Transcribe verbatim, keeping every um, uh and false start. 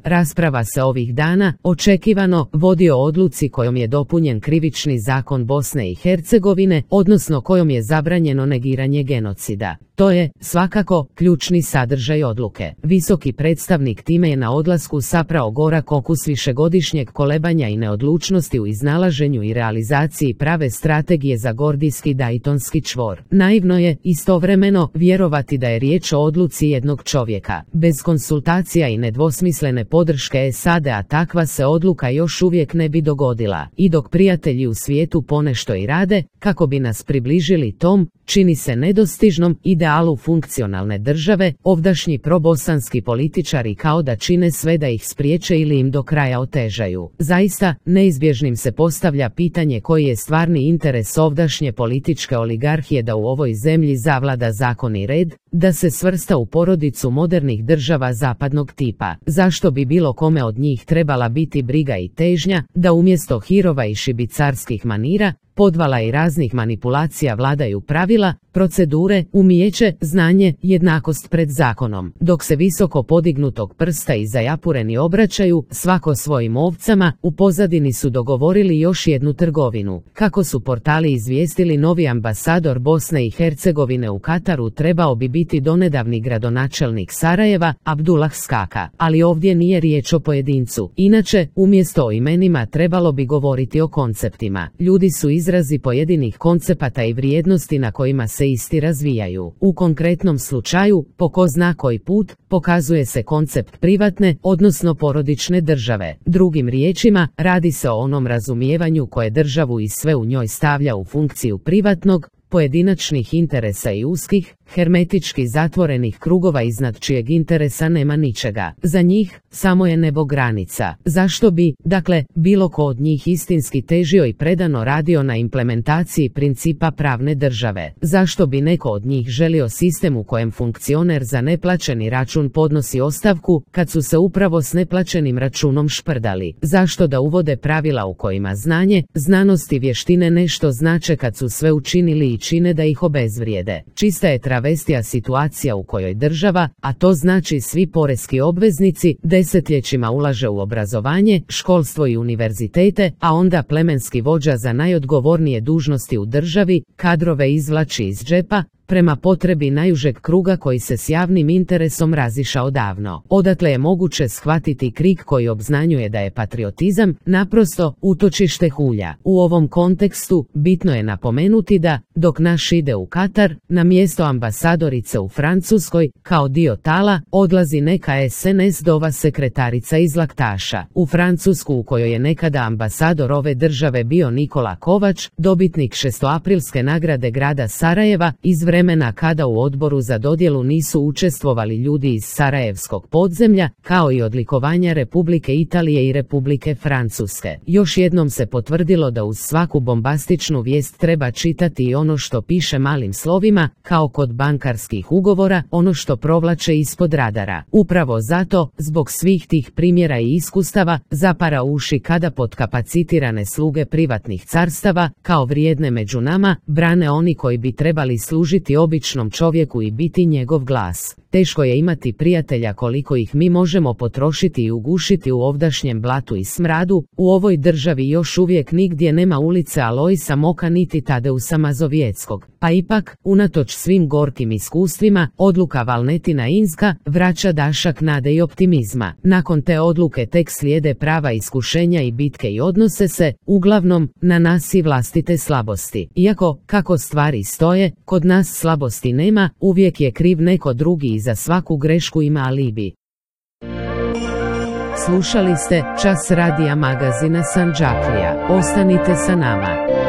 Rasprava se ovih dana, očekivano, vodi o odluci kojom je dopunjen krivični zakon Bosne i Hercegovine, odnosno kojom je zabranjeno negiranje genocida. To je, svakako, ključni sadržaj odluke. Visoki predstavnik time je na odlasku saprao gorak okus višegodišnjeg kolebanja i neodlučnosti u iznalaženju i realizaciji prave strategije za gordijski dajtonski čvor. Naivno je, istovremeno, vjerovati da je riječ o odluci jednog čovjeka. Bez konsultacija i nedvosmislene podrške S A D-a takva se odluka još uvijek ne bi dogodila. I dok prijatelji u svijetu ponešto i rade, kako bi nas približili tom, čini se nedostižnom, idealu funkcionalne države, ovdašnji probosanski političari kao da čine sve da ih spriječe ili im do kraja otežaju. Zaista, neizbježnim se postavlja pitanje koji je stvarni interes ovdašnje političke oligarhije da u ovoj zemlji zavlada zakon i red, da se svrsta u porodicu modernih država zapadnog tipa. Zašto bi bilo kome od njih trebala biti briga i težnja, da umjesto hirova i šibicarskih manira, podvala i raznih manipulacija vladaju pravila, procedure, umijeće, znanje, jednakost pred zakonom. Dok se visoko podignutog prsta i zajapureni obraćaju, svako svojim ovcama, u pozadini su dogovorili još jednu trgovinu. Kako su portali izvijestili, novi ambasador Bosne i Hercegovine u Kataru trebao bi biti donedavni gradonačelnik Sarajeva, Abdullah Skaka. Ali ovdje nije riječ o pojedincu. Inače, umjesto o imenima trebalo bi govoriti o konceptima. Ljudi su izrazi pojedinih koncepata i vrijednosti na kojima se isti razvijaju. U konkretnom slučaju, po ko zna koji put, pokazuje se koncept privatne, odnosno porodične države. Drugim riječima, radi se o onom razumijevanju koje državu i sve u njoj stavlja u funkciju privatnog, pojedinačnih interesa i uskih, hermetički zatvorenih krugova iznad čijeg interesa nema ničega. Za njih, samo je nebo granica. Zašto bi, dakle, bilo ko od njih istinski težio i predano radio na implementaciji principa pravne države? Zašto bi neko od njih želio sistem u kojem funkcioner za neplaćeni račun podnosi ostavku, kad su se upravo s neplaćenim računom šprdali? Zašto da uvode pravila u kojima znanje, znanost i vještine nešto znače kad su sve učinili i čine da ih obezvrijede? Čista je travestija situacija u kojoj država, a to znači svi poreski obveznici, desetljećima ulaže u obrazovanje, školstvo i univerzitete, a onda plemenski vođa za najodgovornije dužnosti u državi kadrove izvlači iz džepa, prema potrebi najužeg kruga koji se s javnim interesom razišao davno. Odatle je moguće shvatiti krik koji obznanjuje da je patriotizam naprosto utočište hulja. U ovom kontekstu bitno je napomenuti da, dok naš ide u Katar, na mjesto ambasadorice u Francuskoj, kao dio tala, odlazi neka S N S-dova sekretarica iz Laktaša. U Francusku, u kojoj je nekada ambasador ove države bio Nikola Kovač, dobitnik šestoaprilske nagrade grada Sarajeva, iz vremena kada u odboru za dodjelu nisu učestvovali ljudi iz sarajevskog podzemlja, kao i odlikovanja Republike Italije i Republike Francuske. Još jednom se potvrdilo da uz svaku bombastičnu vijest treba čitati i ono što piše malim slovima, kao kod bankarskih ugovora, ono što provlače ispod radara. Upravo zato, zbog svih tih primjera i iskustava, zapara uši kada podkapacitirane sluge privatnih carstava, kao vrijedne među nama, brane oni koji bi trebali služiti običnom čovjeku i biti njegov glas. Teško je imati prijatelja koliko ih mi možemo potrošiti i ugušiti u ovdašnjem blatu i smradu. U ovoj državi još uvijek nigdje nema ulice Alojsa Moka niti Tadeusa Mazovjeckog. Pa ipak, unatoč svim gorkim iskustvima, odluka Valnetina Inska vraća dašak nade i optimizma. Nakon te odluke tek slijede prava iskušenja i bitke i odnose se, uglavnom, na nas i vlastite slabosti. Iako, kako stvari stoje, kod nas slabosti nema, uvijek je kriv neko drugi i za svaku grešku ima alibi. Slušali ste Čas radija magazina Sandžaklija. Ostanite sa nama.